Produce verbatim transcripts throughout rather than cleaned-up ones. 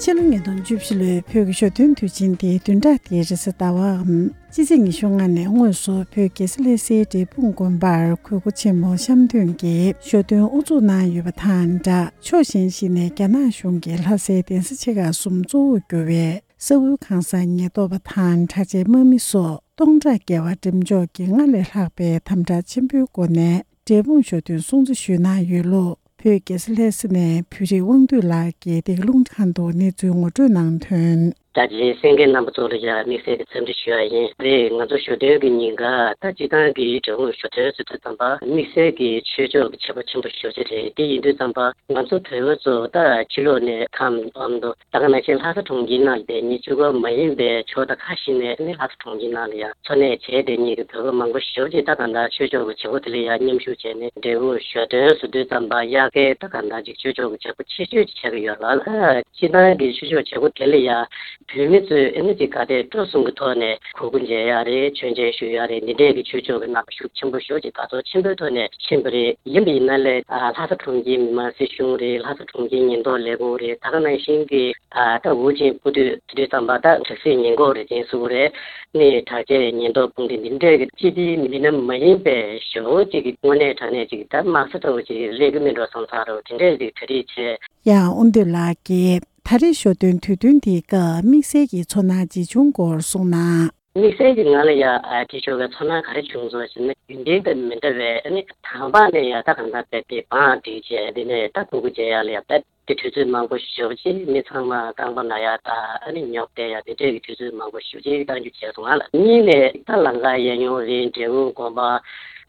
ཕྱི་ལོ་ཉིས་སྟོང་བཅུ་བཞི་ལོའི་བོད་ཀྱི་ཞོ་སྟོན་དུས་ཆེན་དེ་བདུན་ཕྲག་འདིའི་རེས་གཟའ་ཟླ་བའམ་སྤྱི་ཚེས་ཉི་ཤུ་ལྔ་ནས་དངོས་སུ་བོད་རྒྱལ་ས་ལྷ་སའི་འབྲས་སྤུངས་དགོན་པར་གུས་པ་ཆེན་མོ་བཤམས་སྟོན་གྱི་ཞོ་སྟོན་དབུ་འཛུགས་གནང་ཡོད་པ་དང་སྦྲགས། ཕྱོགས་གཞན་ཞིག་ནས་རྒྱ་ནག་གཞུང་གིས་ལྷ་སའི་གདན་ས་ཆེ་ཁག་གསུམ་གཙོ་བོར་གྱུར་བའི་ས་ཁུལ་ཁང་གསར་ཉེན་རྟོག་པ་དང་དྲག་ཆས་དམག་མི་སོགས་སྟོང་ཕྲག་བརྒལ་བ་འགྲེམས་འཇོག་གིས་སྔར་ལས་ལྷག་པའི་དམ་དྲག་ཆེན་པོའི་སྒོ་ནས་འབྲས་སྤུངས་ཞོ་སྟོན་སྲུང་བརྩི་ཞུས་གནང་ཡོད་ལུགས། བོད་རྒྱལ་ས་ལྷ་ས་ནས་བོད་རིགས་དབང་འདུས་ལགས་ཀྱིས་འདི་ག་རླུང་འཕྲིན་ཁང་དུ་གནས་ཚུལ་ངོ་སྤྲོད་གནང་དོན། ད་རྗེས་གསན་མཁན་རྣམ་པ་ཚོ་ལ་ཡང་དམིགས་བསལ་གྱི་འཚམས་འདྲི་ཞུ་ཡ་ཡིན། རེད། ང་ཚོ་ཞོ་སྟོན་གྱི་ཉིན་ཀ་ད་སྤྱིར་བཏང་གི་འབྲས་སྤུངས་ཞོ་སྟོན་ཟེར་དུས་ཙམ་པ་དམིགས་བསལ་གྱི་ཆོས་ཕྱོགས་ཀྱི་བྱེད་སྒོ་ཆེན་པོ་ཞེ་པོ་ཅིག་རེད། དེ་ཡིན་དུས་ཙམ་པ་ང་ཚོ་བོད་པ་ཚོ་ད་ཕྱི་ལོགས་ནས་ཁམས་ཨ་མདོ་ད་ག་ནང་བཞིན་ལྷ་ས་གྲོང་ཁྱེར་ནང་ལ་བསྡད་མཁན་གཅིག་པོ་མ་ཡིན་པའི་ཕྱོགས་མཐའ་ཁག་ཞིག་ནས་ནི་ལྷ་ས་གྲོང་ཁྱེར་ནང་ལ་ཡང་འཚོ་གནས་བྱས་བསྡད་མཁན་གྱི་བོད་པ་མང་པོ་ཞེ་པོ་ཅིག་ད་གང་ལྟར་ཆོས་ཕྱོགས་ཀྱི་བྱེད་སྒོ་དེ་ལ་ཡང་མཉམ་ཞུགས་བྱས་ནས་འབྲས་སྤུངས་ཞོ་སྟོན་ཟེར་དུས་ཙམ་པ་དབྱར་ཁའི་ད་གང་ལྟར་ཅིག་ཆོས་ཕྱོགས་ཀྱི་བྱེད་སྒོ་ཆེ་ཤོས་ཅིག་ཆགས་ཀྱི་ཡོད་ལ། ཨ་སྤྱིར་བཏང་གི་ཆོས་ཕྱོགས་བྱེད་སྒོ་དེ་ལ་ཡང་བོད་མི་ཚོས་ཨ་ནི་ཅིག་ག་དེ་སྤྲོ་གསུམ་གྱི་ཐོག་ནས་གུས་བཀུར་མཇལ་ཡག་རེད། མཆོད་མཇལ་ཞུ་ཡག་རེད། འདི་འདྲས་ཀྱི་ཆོས་ཕྱོགས་ཀྱི་རྣམ་པ་ཤུགས་ཆེན་པོ་ཞེ་པོ་ཅིག་དར་ཚོར་ཆེན་པོའི་ཐོག་ནས་ཕྱིན་པ་རེད། ཡིན་པ་ཡིན་ན་ལས་ཨ་ལྷ་ས་གྲོང་ཁྱེར་མི་དམངས་སྲིད་གཞུང་རེད། ལྷ་ས་གྲོང་ཁྱེར་ཉེན་རྟོག་ལས་ཁུངས་རེད། ད་ག་ནང་བཞིན་གྱི་ཨ་ད་ཝུ་ཅན་སྤོ་དུས་དེ་དུས་ཙམ་པ་ད་དྲག་ཟིང་ཉེན་འགོག་རེད་ཅེས་སུ་རེད། ནི་དྲག་ཆས་ཉེན་རྟོག་དཔུང་སྡེ་འདི་འདྲས་ཀྱི་སྤྱི་བདེའི་མི་སྣ་མ་ཡིན་པའི་ཞེ་པོ་ཅིག་གི་དངོས་གནས་དྲང་གནས་ཅིག་ད་དམག་ས་ལྟ་བུ་ཅིག་སླེབས་ཀྱི་མིན་འགྲོ་བསམ་ས་རུ་དེ་འདྲས་ཅིག་གྲ་སྒྲིག་བྱས། ཡང་དབང་འདུས་ལགས་ཀྱིས་ད་རེས་ཞོ་སྟོན་དུས་སྟོན་འདིའི་སྐབས་དམིགས་བསལ་གྱི་ཚོར་སྣང་ཇི་བྱུང་སྐོར་གསུངས་ན། དམིགས་བསལ་གྱི་ང་ལ་ཡ་ཨ་དེ་ཞོགས་ཀའི་ཚོར་སྣང་ག་རེ་བྱུང་སོང་ཞེ་ན། རྒྱུན་ལྡན་དང་མི་འདྲ་བའི་ཨ་ནི་དང་པ་ནས་ཡ་ད་གང་ལྟར་དཔེ་དེ་བང་སྒྲིག་བྱས། དེ་ནས་ད་གུས་བཀུར་བྱེད་ཡ་ལ་ཡ་དཔེ་དེ་དུས་ཚོད་མང་པོ་ཞེ་པོ་ཅིག་མི་ཚང་མ་རྐང་པ་ན་ཡ་ད་ཨ་ནི་ཉོབ་བསྡད་ཡ་དེ་འདྲས་ཀྱི་དུས་ཚོད་མང་པོ་ཞེ་པོ་ཅིག་གཏང་རྒྱུ་བྱས་སོང་ང་ལ། གཉིས་ནས་ད་ལམ་ཁ་གཡས་གཡོན་རེད། འབྲས་སྤུངས་དགོན་པ་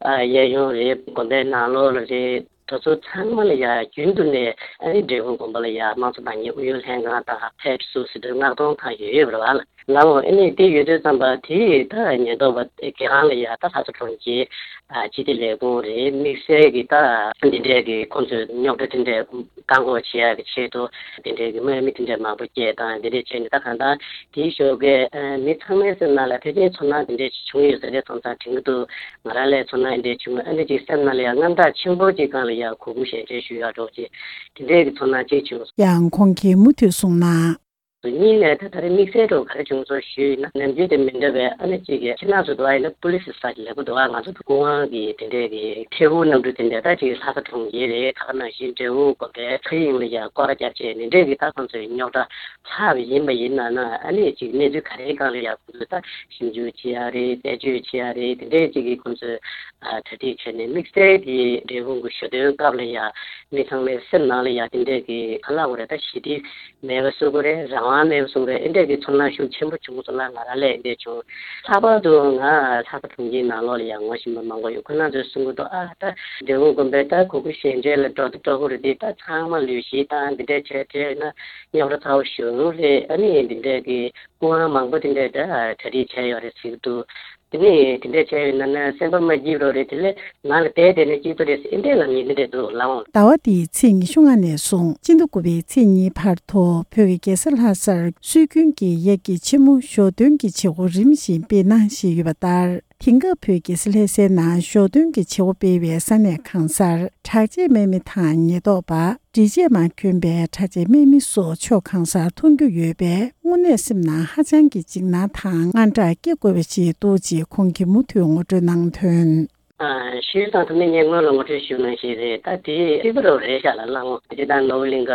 ཨ་གཡས་གཡོན་རེད། དགོན་པའི་ནང་ལོགས་ལ་རེད། དེ་ཚོ་ཚང་མ་ལ་ཡ་རྒྱུན་དུ་ནས་ཨ་ནི་འབྲས་སྤུངས་དགོན་པ་ལ་ཡ་དམངས་གཙོ་དང་ཉིད་ཨུ་ཡོན་ལྷན་ཁང་དང་ཕེབས་བསུ་ཟེར་དུས་མངགས་གཏོང་ཁང་ཡོད་ཡོད་པ་རེད་བ་ལ། ལའོ། ཨ་ནི་དེ་ཡོད་དུས་ཙམ་པ་དེ་ད་ཉེན་རྟོག་པ་དེ་གང་ལ་ཡ་ད་ལྷ་ས་གྲོང་ཁྱེར་ཨ་སྤྱི་བདེ་ལས་ཁུངས་རེད། དམིགས་བསལ་གྱི་ད་འདི་འདྲས་ཀྱི་ཁོང་ཚོས་རྙོག་དྲ་དེ་འདྲས་བཀག་འགོག་བྱེད་ཡག་གི་ཆེད་དུ་དེ་འདྲས་ཀྱི་དམག་མི་དེ་འདྲས་མང་པོ་སྐྱེལ་དང་དེ་འདྲས་བྱས་ནས་ད་གང་ལྟར་དེའི་ཞོགས་ཀས་ཨ་མི་ཚང་མའི་སེམས་ནང་ལ་ཕལ་ཆེར་ཚོར་སྣང་དེ་འདྲས་ཅིག་བྱུང་ཡོད་ས་རེད། སོང་ཙང་དྲན་གྱི་འདུག་ང་རང་ལ་ཚོར་སྣང་དེ་འདྲས་བྱུང་། ཨ་ནི་ཅིག་སེམས་ནང་ལ་ཡང་དངངས་སྐྲག་ཆེན་པོ་ཅིག་སྒང་ལ་ཡང་གུས་བཀུར་ཞལ་མཇལ་ཞུ་ཡག་འདྲ་བོ་ཅིག་དེ་འདྲས་ཀྱི་ཚོར་སྣང་ཅིག་བྱུང་སོང་། ཡང་ཁོང་གིས་མུ་མཐུད་གསུངས་ན། གཉིས་ནས་ད་ད་རེས་དམིགས་བསལ་འདྲ་བོ་ག་རེ་བྱུང་སོང་ཞུས་ན། ནམ་རྒྱུན་དེ་མི་འདྲ་བའི་ཨ་ནི་གཅིག་གི་ཕྱི་ནང་སུ་འགྲོ་བ་ཡིན་ན་པུ་ལི་སི་ས་ཅིག་ལེགས་པོ་འདུག་ཨ་ང་ཚོ་སྐུ་དབང་གི་དེ་འདྲས་ཀྱི་ཐེའུ་གནམ་གྲུ་དེ་འདྲས་ད་ཅིག་ལྷ་ས་གྲོང་ཁྱེར་རེད། ད་ག་ནང་བཞིན་འབྲས་སྤུངས་དགོན་པའི་མཁའ་དབྱིངས་ལ་ཡང་སྐོར་ར་བརྒྱབ་བྱས་ནས་འདྲས་ཀྱི་ད་ཁོང་ཚོའི་རྙོག་དྲ་ལྷག་པ་ཡིན་པ་ཡིན་ན་ན་ཨ་ནི་ཅིག་གནས་ཚུལ་ག་རེའི་སྒང་ལ་ཡང་ཁོང་ཚོས་ད་ཞིབ་འཇུག་བྱེད་ཡ་རེད། རྩད་གཅོད་བྱེད་ཡ་རེད། དེ་འདྲས་ཅིག་གི་ཁོང་ཚོས་ཨ་གྲ་སྒྲིག་བྱས་ནས་དམིགས་བསལ་གྱི་འབྲས་སྤུངས་ཀྱི་ཞོ་སྟོན་སྐབས་ལ་ཡང་མི་ཚང་མའི་སེམས་ནང་ལ་ཡང་དེ་འདྲས་ཀྱི་ག་ལབ་དགོས་རེད། ད་ཞི་བདེ་མེད་པ་བཟོ་གི་རེད། རང་དབང་མེད་པ་བཟོ་གི་རེད། ཨེ་འདྲས་ཀྱི་ཚོར་སྣང་ཤུགས་ཆེན་པོ་བྱུང་སོང་ལ། ང་རང་ལ་ཨེ་འདྲས་བྱུང་། ལྷག་པར་དུ་ང་ལྷ་ས་གྲོང་ཁྱེར་ནང་ལོགས་ལ་ཡང་ངོ་ཤེས་པ་མང་པོ་ཡོད། ཁོ་རང་ཚོས་གསུང་གི་འདུག་ཨ་ད་འབྲས་སྤུངས་དགོན་པའི་ད་གུས་བཀུར་ཞལ་མཇལ་ལ་འགྲོ་དུས་འགྲོ་གི་རེད་དེ། ད་ཚང་མ་ལུས་ཤིག་དང་འདི་འདྲས་བྱས་བྱས་ན་རྙོག་དྲ་ཚ་བོ་ཞིག་རེད། ཨ་ནི་འདི་འདྲས་ཀྱི་སྐུ་དབང་མང་པོ་དེ་འདྲས་ད་གྲ་སྒྲིག་བྱས་ཡོད་རེད་ཟེར་གི་འདུག་དེ་ནས་དེ་འདྲས་བྱས་ཡོད་ན་ན་སེམས་པ་མ་སྐྱིད་རོགས་རེད། དེ་ལས་ང་ལ་བསྡད་བསྡད་ན་སྐྱིད་པོ་རེད་ཟེར་ཨེ་འདྲས་ལབ་མཁན་དེ་འདྲས་འདུག་ལགས་འོང་། ཟླ་བ་འདིའི་ཚེས་ཉི་ཤུ་ལྔ་ནས་བཟུང་སྤྱི་ཟླ་དགུ་པའི་ཚེས་གཉིས་བར་དུ་བོད་ཀྱི་རྒྱལ་ས་ལྷ་སར་སྲོལ་རྒྱུན་གྱི་དབྱར་གྱི་ཆེན་མོ་ཞོ་སྟོན་གྱི་བྱེད་སྒོ་རིམ་བཞིན་སྤེལ་གནང་བཞིན་ཡོད་པ་ལྟར། དེང་སྐབས་བོད་ཀྱི་རྒྱལ་ས་ལྷ་སའི་ནང་ཞོ་སྟོན་གྱི་བྱེད་སྒོ་སྤེལ་བའི་ས་གནས་གང་སར་དྲག་ཆས་དམག་མི་དང་ཉེན་རྟོག་པ། འགྲིག་ཆས་མ་གྱོན་པའི་དྲག་ཆས་དམག་མི་སོགས་ཕྱོགས་གང་སར་མཐོང་རྒྱུ་ཡོད་པས། དངོས་གནས་སེམས་ནང་ཧ་ཅང་གི་འཇིགས་སྣང་དང་དངངས་སྐྲག་སྐྱེ་དགོས་པ་ཞིག་འདུག་ཅེས་ཁོང་གིས་མུ་མཐུད་ངོ་སྤྲོད་གནང་དོན། ཨ་ཞུས་དང་ཐུབ་ནི་ངས་སྔོན་ལ་ངོ་སྤྲོད་ཞུས་ནང་བཞིན་རེད། ད་དེ་ཐིག་པ་རུ་རེད་ཤག་ལ་ལགས་འོང་། དེ་དང་ནོར་བུ་གླིང་ག་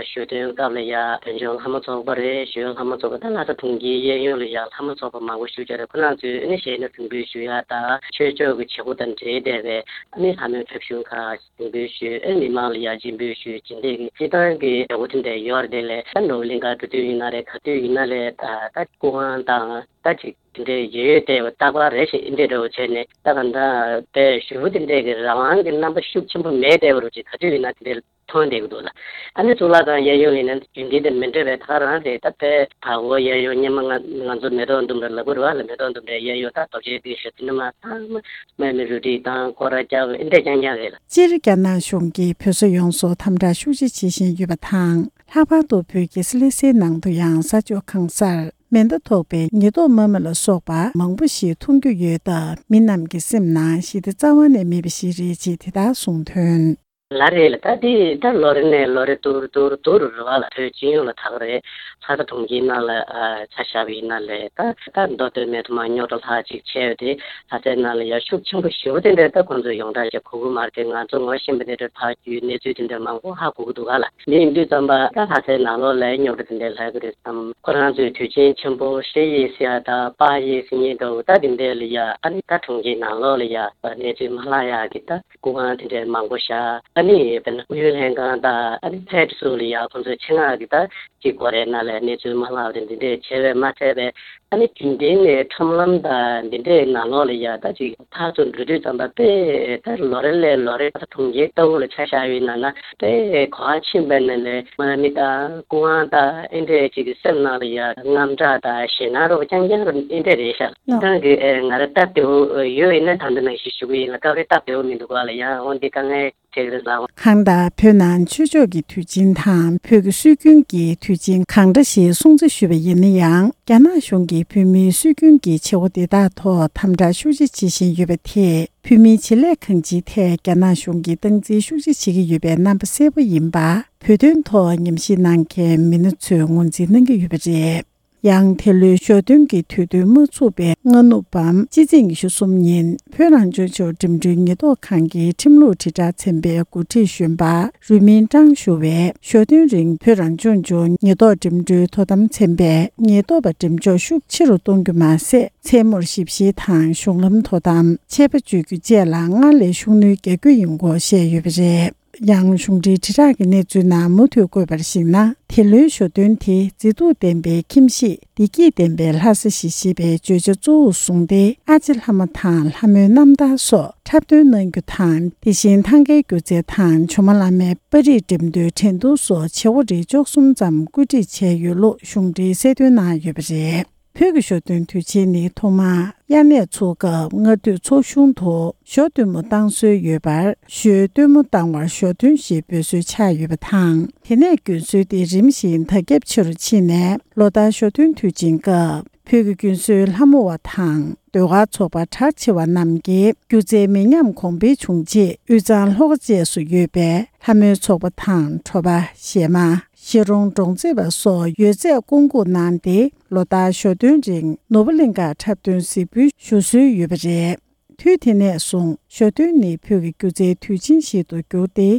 ཞོ་སྟོན་སྐབས་ལ་ཡ་བོད་ལྗོངས་ལྷ་མོ་ཚོགས་པ་རེད། ཞོལ་ལྷ་མོ་ཚོགས་པ་ད་ལྷ་ས་གྲོང་ཁྱེར་གཡས་གཡོན་ལ་ཡ་ལྷ་མོ་ཚོགས་པ་མང་པོ་ཞུ་བྱ་རེད། ཁོ་རང་ཚོས་ནི་གཞས་སྣ་འགྲེམས་སྤེལ་ཞུ་ཡ་དང་ཆོས་ཕྱོགས་ཀྱི་བྱེད་སྒོ་དང་འབྲེལ་བསྡད་པའི་ནི་ལྷ་མོའི་ཕེབས་བཞུགས་ཁག་སྦྱིན་འབུལ་ཞུས། ཨེ་མི་མང་ལ་ཡང་སྦྱིན་འབུལ་ཞུས། སྦྱིན་འདེད་ཀྱི་སྤྱི་བཏང་གི་བྱ་སྒོ་དེ་འདྲ་ཡོད་རེད། དེ་ལས་ད་ནོར་བུ་གླིང་ག་འགྲོ་དུས་ཡིན་ན་རེད། ག་དུས་ཡིན་ན་རེད། ད་ད་སྐུ་དབང་དང་ད་ཅིག་དེ་འདྲའི་ཡོད་ཡོད་བལྟས་པ་རྟག་པར་རེ་ཞིག་འདི་འདྲ་འདྲ་བོ་བྱས་ནས་ད་ག་འདྲ་དེ་ཞུ་བོ་དེ་འདྲའི་གི་རང་དབང་གི་རྣམ་པ་ཤུགས་ཆེན་པོ་མེད་བསྡད་པ་རུ་ཅིག་ག་དུས་ཡིན་ན་དེ་འདྲའི་མཐོང་བསྡད་ཀྱི་འདུག་ལ། ཨ་ནི་གཙུག་ལག་ཁང་གཡས་གཡོན་ལ་ཡིན་ན་རྒྱུན་ལྡན་དང་མི་འདྲ་བའི་ད་ག་རང་རེད། ད་དཔེ་བར་སྐོར་གཡས་གཡོན་སྔོན་མ་ང་ང་ཚོ་མེ་ཏོག་ལྡུམ་ར་ལབ་དགོས་རེད་བ་ལ། མེ་ཏོག་ལྡུམ་རའི་གཡས་གཡོན་ད་རྡོ་རྗེ་གདན་ཞབས་ཏི་ནི་མ་ཚང་མ་དམག་མི་རུ་སྒྲིག་དང་སྐོར་ར་རྒྱག་འདི་འདྲ་རྐྱང་རྐྱང་རེད་ལ། སྤྱིར་རྒྱ་ནག་གཞུང་གིས་བོད་ས་ཡོངས་སུ་དམ་དྲག་ཤུགས་ཆེ་བྱེད་བཞིན་ཡོད་པ་དང་། ལྷག་པར་དུ་བོད་ཀྱི་ལྷ་སའི་ནང་དུ་ཡང་ས་ཕྱོགས་གང་སར་མེ་མདའ་ཐོགས་པའི་ཉེན་རྟོག་དམག་མི་ལ་སོགས་པ་མང་པོ་ཞིག་མཐོང་རྒྱུ་ཡོད་སྟབས། མི་རྣམས་ཀྱི་སེམས་ནང་ཞི་བདེ་རྩ་བ་ནས་མེད་པ་ཞིག་རེད་ཅེས་དེ་ལྟར་གསུངས་དོན། ལ་རེད་ལ། ད་དེ་ད་ལོ་རེ་ནས་ལོ་རེ་ཏུར་ཏུར་ཏུར་རུ་བ་ལ་བོད་སྤྱི་ཡོངས་ལ་ད་ག་རེད། ལྷ་ས་གྲོང་ཁྱེར་ནང་ལ་ཨ་ཆ་བཞག་པ་ཡིན་ན་ལས་ད་ད་མདོ་སྟོད་སྨད་དུ་མ་རྙོག་དྲ་ལྷག་ཅིག་ཆེ་བ་དེ་ལྷ་སའི་ནང་ལ་ཡ་ཤུགས་ཆེན་པོ་ཞེ་པོ་དེ་འདྲ་ད་ཁོང་ཚོས་ཡོངས་གྲགས་བྱེད་གོ་གི་མ་རེད། ང་ཚོ་ངོ་ཤེས་པ་དེ་འདྲ་ཕར་རྒྱུའི་གནས་ཚུལ་དེ་འདྲ་མང་པོ་ཧ་གོ་གི་འདུག་ག་ལ། དེ་ཡིན་དུས་ཙམ་པ་ད་ལྷ་སའི་ནང་ལོགས་ལ་རྙོག་དྲ་དེ་འདྲ་ལྷག་གི་རེད་བསམ། ཁོ་རང་ཚོས་དུས་ཆེན་ཆེན་པོ་ཧྲེ་ཡེ་ཟེར་ཡ་དང་པ་ཡེ་ཟེར་མཁན་འདྲ་བོ་ད་དེ་འདྲ་ལ་ཡ་ཨ་ནི་ད་གྲོང་ཁྱེར་ནང་ལོགས་ལ་ཡ་གནས་ཚུལ་མ་ལྷག་ཡ་གི་ད་སྐུ་ཁང་དེ་འདྲ་མང་པོ་བཞག་ཨ་ནི་དཔེར་ན་སྐུ་ཡོན་ལྷན་ཁང་དང་ཨ་ནི་ཕེད་སུ་ལ་ཡ་ཁོང་ཚོའི་ཆེད་མངགས་ཀྱི་ད་ཅིག་གོ་རེ་ན་ལས་གནས་ཚུལ་མ་ལྷག་པ་དེ་འདི་འདྲས་བྱས་པས་མ་ཚད་པས་ཨ་ནི་དེ་འདྲའི་ནས་ཁྲོམ་ལམ་དང་འདི་འདྲའི་ནང་ལོགས་ལ་ཡ་ད་ཅིག་ཕར་ཚུར་འགྲོ་དུས་ཙམ་པ་དཔེ་ད་ལོ་རེ་ལས་ལོ་རེ་ད་གྲོང་ཁྱེར་ལྟ་བུ་ལ་ཆ་བཞག་ཡོད་ན་ན་དཔེ་གོ་བ་ཕྱིན་པས་ན་ལས་མ་མི་དང་སྐུ་དབང་དང་ཨེ་འདྲས་ཅིག་གི་སེམས་ནང་ལ་ཡ་དངངས་སྐྲག་དང་ཞེད་སྣང་རོ་རྐྱང་རྐྱང་རོ་ཨེ་འདྲས་རེད་ཤག་ཨ་ད་གི་ཨེ་ང་རང་སྟབས་བདེ་བོ་ཡོད་ཡིན་ན་ད་འདི་ནང་བཞིན་ཞུ་གི་ཡིན་ལ། སྐབས་རེ་སྟབས་བདེ་བོ་མི་འདུག་ག་ལ་ཡ། འོ་འདི་དཀའ་ངལ་ཆེ་གི་རེད་ལ། གང་ལྟར་བོད་ནང་ཆོས་ཕྱོགས་ཀྱི་དུས་ཆེན་དང་བོད་ཀྱི་སྲོལ་རྒྱུན་གྱི་དུས་ཆེན་གང་འདྲ་ཞིག་སྲུང་བརྩི་ཞུས་པ་ཡིན་ན་ཡང་རྒྱ་ནག་གཞུང་གིས་བོད་མིའི་སྲོལ་རྒྱུན་གྱི་བྱེད་སྒོ་དེ་དག་ཐོག་དམ་དྲག་ཤུགས་ཆེ་བྱེད་བཞིན་ཡོད་པ་དེས་བོད་མིའི་བྱེད་ལས་གང་ཅིའི་ཐད་རྒྱ་ནག་གཞུང་གིས་སྟངས་འཛིན་ཤུགས་ཆེ་བྱེད་ཀྱི་ཡོད་པའི་རྣམ་པ་གསལ་པོ་ཡིན་པ་བོད་དོན་ཐོག་ཉམས་ཞིབ་གནང་མཁན་མི་སྣ་ཚོས་ངོས་འཛིན་གནང་གི་ཡོད་པ་རེད། ཡང་དེ་ལོའི་ཞོ་སྟོན་གྱི་དུས་སྟོན་མ་ཚུགས་པའི་སྔ་ནུབ་བམ་སྤྱི་ཚེས་ཉི་ཤུ་གསུམ་ཉིན་བོད་རང་སྐྱོང་ལྗོངས་འགྲིམ་འགྲུལ་ཉེན་རྟོག་ཁང་གི་ཁྲིམས་ལུགས་དྲིལ་བསྒྲགས་ཚན་པའི་འགོ་ཁྲིད་གཞོན་པ་རུས་མིང་ཀྲང་ཞུ་བས་ཞོ་སྟོན་རིང་བོད་རང་སྐྱོང་ལྗོངས་ཉེན་རྟོག་འགྲིམ་འགྲུལ་དོ་དམ་ཚན་པས་ཉེན་རྟོག་པ་འགྲེམས་འཇོག་ཤུགས་ཆེ་རུ་གཏོང་རྒྱུ་མ་ཟད་མཚན་མོར་ཞིབ་བཤེར་དང་གཞུང་ལམ་དོ་དམ་ཆད་པ་གཅོད་རྒྱུ་བཅས་ལ་སྔར་ལས་ཤུགས་སྣོན་རྒྱག་རྒྱུ་ཡིན་སྐོར་བཤད་ཡོད་པ་རེད། ཡང་གཞུང་འབྲེལ་དྲིལ་བསྒྲགས་ཀྱི་གནས་ཚུལ་ནང་མུ་མཐུད་བཀོད་པར་གཞིགས་ན། དེ་ལོའི་ཞོ་སྟོན་དེ་མཛེས་སྡུག་ལྡན་པའི་ཁྱིམ་གཞིས་བདེ་སྐྱིད་ལྡན་པའི་ལྷ་ས་ཞེས་བཤད་པའི་བརྗོད་བྱ་གཙོ་བོར་བཟུང་སྟེ། ཨ་ཅེ་ལྷ་མོ་དང་ལྷ་མོའི་རྣམ་ཐར་སོགས་འཁྲབ་སྟོན་གནང་རྒྱུ་དང་། དེ་བཞིན་ཐང་གའི་སྒྱུ་རྩལ་དང་ཇོ་མོ་གླང་མའི་པར་རིས་འགྲེམས་སྟོན་འགྲན་བསྡུར་སོགས་བྱེད་སྒོ་རིགས་བཅུ་གསུམ་ཙམ་བཀོད་སྒྲིག་བྱས་ཡོད་ལུགས་གཞུང་འབྲེལ་གསལ་སྟོན་གནང་ཡོད་པ་རེད། བོད་ཀྱི་ཞོ་སྟོན་དུས་ཆེན་ནི་ཐོག་མར་དབྱར་གནས་ཚུགས་སྐབས་སྔ་དུས་ཚོགས་ཆུང་དུ་ཞོ་སྟོན་མོ་བཏང་སྲོལ་ཡོད་པར། ཞོའི་སྟོན་མོ་བཏང་བར་ཞོ་སྟོན་ཞེས་འབོད་སྲོལ་ཆགས་ཡོད་པ་དང་། དེ་ནས་རྒྱུན་སྲོལ་དེ་རིམ་བཞིན་དར་ཁྱབ་ཆེ་རུ་ཕྱིན་ནས། ལོ་ལྟར་ཞོ་སྟོན་དུས་ཆེན་སྐབས་བོད་ཀྱི་རྒྱུན་སྲོལ་ལྷ་མོ་བ་དང་ཟློས་གར་ཚོགས་པ་གྲགས་ཆེ་བ་རྣམས་ཀྱིས་སྒྱུ་རྩལ་མི་ཉམས་གོང་འཕེལ་བྱུང་ཆེད་དབུས་གཙང་ལྷོ་ཁ་བཅས་སུ་ཡོད་པའི་ལྷ་མོའི་ཚོགས་པ་དང་གྲོ་པ། གཞས་མ། གཞིས་གྲོང་གྲོང་རྩེད་པ་སོགས་ཡོད་ཚད་བསྐོང་འགུག་གནང་སྟེ། ལོ་ལྟར་ཞོ་སྟོན་རིང་ནོར་བུ་གླིང་ཁར་འཁྲབ་སྟོན་གཟིགས་འབུལ་ཞུ་སྲོལ་ཡོད་པ་རེད། དུས་དེ་ནས་བཟུང་ཞོ་སྟོན་ནི་བོད་ཀྱི་སྒྱུ་རྩལ་དུས་ཆེན་ཞིག་ཏུ་གྱུར་ཏེ།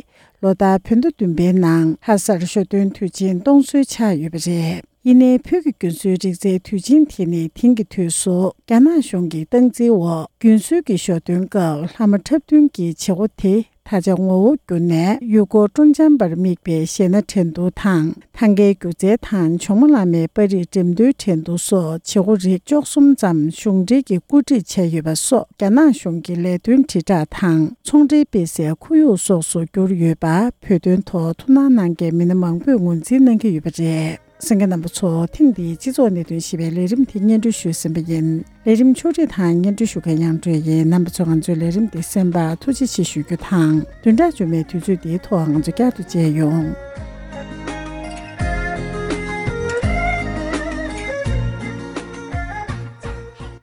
ལོ་ལྟར་བོད་ཟླ་བདུན་པའི་ནང་ལྷ་སར་ཞོ་སྟོན་དུས་ཆེན་གཏོང་སྲོལ་ཆགས་ཡོད་པ་རེད། ཡིན་ནའི་བོད་ཀྱི་རྒྱུན་སྲོལ་རིག་རྩལ་དུས་ཆེན་དེ་ནི་དེང་གི་དུས་སུ་རྒྱ་ནག་གཞུང་གི་སྟངས་འཛིན་འོག་རྒྱུན་སྲོལ་གྱི་ཞོ་སྟོན་སྐབས་ལྷ་མོ་འཁྲབ་སྟོན་གྱི་བྱེད་སྒོ་དེ། ད་ཆ་ངོ་བོ་བསྒྱུར་ནས་ཡུལ་སྐོར་སྤྲོ་འཆམ་པར་དམིགས་པའི་གཞས་སྣ་འགྲན་བསྡུར་དང་། ཐང་གའི་སྒྱུ་རྩལ་དང་ཇོ་མོ་གླང་མའི་པར་རིས་འགྲེམས་སྟོན་འགྲན་བསྡུར་སོགས་བྱེད་སྒོ་རིགས་བཅུ་གསུམ་ཙམ་གཞུང་འབྲེལ་གྱིས་བཀོད་སྒྲིག་བྱས་ཡོད་པ་སོགས་རྒྱ་ནག་གཞུང་གི་ལས་དོན་དྲིལ་བསྒྲགས་དང་ཚོང་འབྲེལ་སྤེལ་སའི་ཁོར་ཡུག་སོགས་སུ་གྱུར་ཡོད་པ་བོད་དོན་ཐོག་ཐུགས་སྣང་གནང་མཁན་མི་སྣ་མང་པོས་ངོས་འཛིན་གནང་གི་ཡོད་པ་རེད། གསན་མཁན་རྣམ་པ་ཚོ། ཐེངས་འདིའི་སྤྱི་ཚོགས་གནད་དོན་ཞེས་པའི་ལས་རིམ་དེ་སྙན་སྒྲོན་ཞུས་ཟིན་པ་ཡིན། ལས་རིམ་ཕྱོགས་སྒྲིག་དང་སྙན་སྒྲོན་ཞུ་མཁན་དབྱངས་སྒྲོན་ཡིན། རྣམ་པ་ཚོས་ང་ཚོའི་ལས་རིམ་འདི་གསན་པར་ཐུགས་རྗེ་ཆེ་ཞུ་རྒྱུ་དང་། བདུན་ཕྲག་རྗེས་མའི་དུས་ཚོད་འདིའི་ཐོག་ང་ཚོ་བསྐྱར་དུ་མཇལ་ཡོང་།